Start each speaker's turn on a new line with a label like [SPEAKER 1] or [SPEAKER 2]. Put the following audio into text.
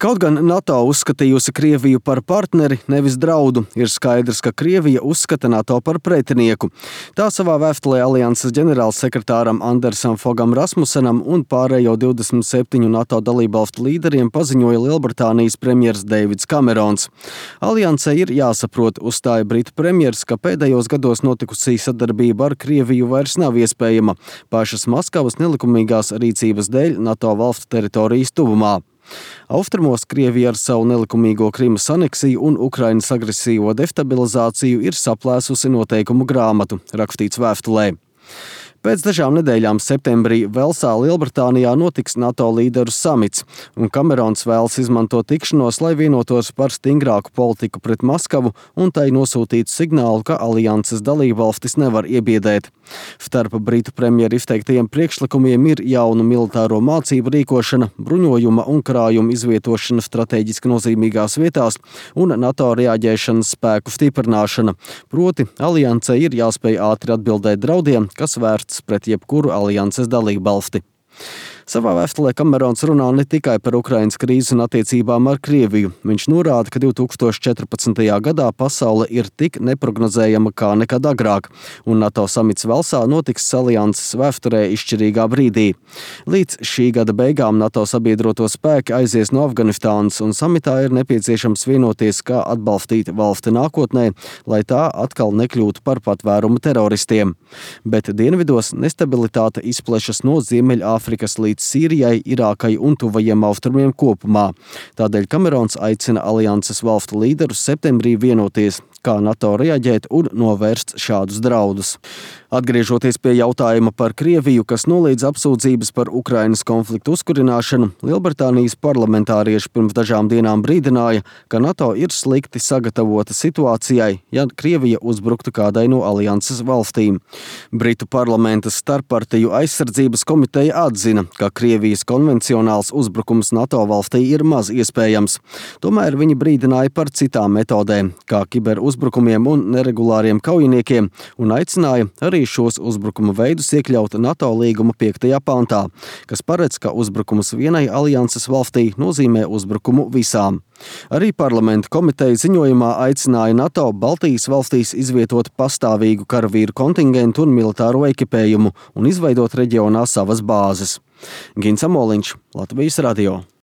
[SPEAKER 1] Kaut gan NATO uzskatījusi Krieviju par partneri, nevis draudu, ir skaidrs, ka Krievija uzskata NATO par pretinieku. Tā savā vēstulē alianses ģenerālsekretāram Andersam Fogam Rasmusenam un pārējo 27 NATO dalībvalstu līderiem paziņoja Lielbritānijas premjers Deivids Kamerons. Aliansei ir jāsaprot, uzstāja britu premjers, ka pēdējos gados notikusī sadarbība ar Krieviju vairs nav iespējama pašas Maskavas nelikumīgās rīcības dēļ NATO valstu teritorijas tuvumā. Austrumos Krievija ar savu nelikumīgo Krimas aneksiju un Ukrainas agresīvo destabilizāciju ir saplēsusi noteikumu grāmatu, rakstīts vēstulē. Pēc dažām nedēļām septembrī Velsā, Lielbritānijā notiks NATO līderu samits, un Kamerons vēlas izmantot tikšanos, lai vienotos par stingrāku politiku pret Maskavu un tai nosūtītu signālu, ka alianses dalībvalstis nevar iebiedēt. Starp britu premjeru izteiktajiem priekšlikumiem ir jaunu militāro mācību rīkošana, bruņojuma un krājuma izvietošana strateģiski nozīmīgās vietās un NATO reaģēšanas spēku stiprināšana. Proti, aliansei ir jāspēj ātri atbildēt draudiem, kas vērsts pret jebkuru alianses dalībvalsti. Savā vēstulē Kamerons runā ne tikai par Ukrainas krīzi un attiecībām ar Krieviju. Viņš norāda, ka 2014. gadā pasaule ir tik neprognozējama kā nekad agrāk, un NATO samits Velsā notiks alianses vēsturē izšķirīgā brīdī. Līdz šī gada beigām NATO sabiedroto spēki aizies no Afganistānas, un samitā ir nepieciešams vienoties, kā atbalstīt valsti nākotnē, lai tā atkal nekļūtu par patvērumu teroristiem. Bet dienvidos nestabilitāte izplešas no Ziemeļāfrikas līdz Sīrijai, Irākai un tuvajiem austrumiem kopumā. Tādēļ Kamerons aicina alianses valstu līderus septembrī vienoties, kā NATO reaģēt un novērst šādus draudus. Atgriežoties pie jautājuma par Krieviju, kas noliedz apsūdzības par Ukrainas konfliktu uzkurināšanu, Lielbritānijas parlamentārieši pirms dažām dienām brīdināja, ka NATO ir slikti sagatavota situācijai, ja Krievija uzbruktu kādai no alianses valstīm. Britu parlamenta starppartiju aizsardzības komiteja atzina, ka Krievijas konvencionāls uzbrukums NATO valstī ir maz iespējams. Tomēr viņi brīdināja par citām metodēm, kā kiberuzbrukumiem un neregulāriem kaujiniekiem, un aicināja arī šos uzbrukuma veidus iekļaut NATO līguma 5. pantā, kas paredz, ka uzbrukums vienai alianses valstī nozīmē uzbrukumu visām. Arī parlamenta komiteja ziņojumā aicināja NATO Baltijas valstīs izvietot pastāvīgu karavīru kontingentu un militāro ekipējumu un izveidot reģionā savas bāzes. Gins Amoliņš, Latvijas radio.